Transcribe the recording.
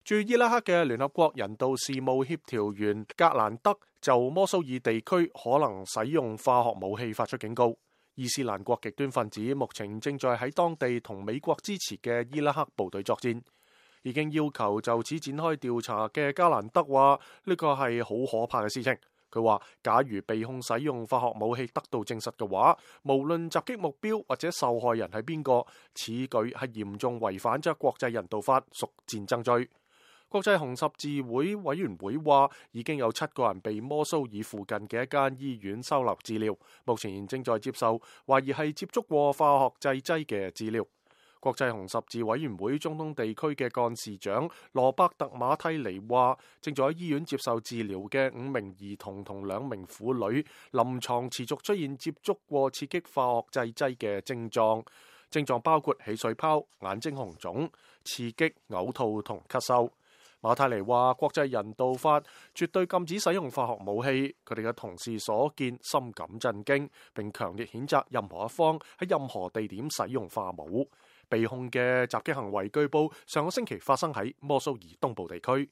駐伊拉克嘅聯合國人道事務協調員格蘭德就摩蘇爾地區可能使用化學武器發出警告。伊斯蘭國極端分子目前正在喺當地同美國支持嘅伊拉克部隊作戰。已經要求就此展開調查嘅加蘭德話：呢個係好可怕嘅事情。佢話：假如被控使用化學武器得到證實嘅話，無論襲擊目標或者受害人係邊個，此舉係嚴重違反咗國際人道法，屬戰爭罪。國際紅十字會委員會話，已經有7個人被摩蘇爾附近嘅一間醫院收留治療，目前正在接受懷疑係接觸過化學製劑嘅治療。國際紅十字委員會中東地區嘅幹事長羅伯特馬蒂尼話，正在醫院接受治療嘅5名兒童同2名婦女，臨床持續出現接觸過刺激化學製劑嘅症狀，症狀包括起水泡、眼睛紅腫、刺激、嘔吐同咳嗽。馬泰尼話：國際人道法絕對禁止使用化學武器，佢哋嘅同事所見深感震驚，並強烈譴責任何一方喺任何地點使用化武。被控嘅襲擊行為據報上個星期發生喺摩蘇爾東部地區。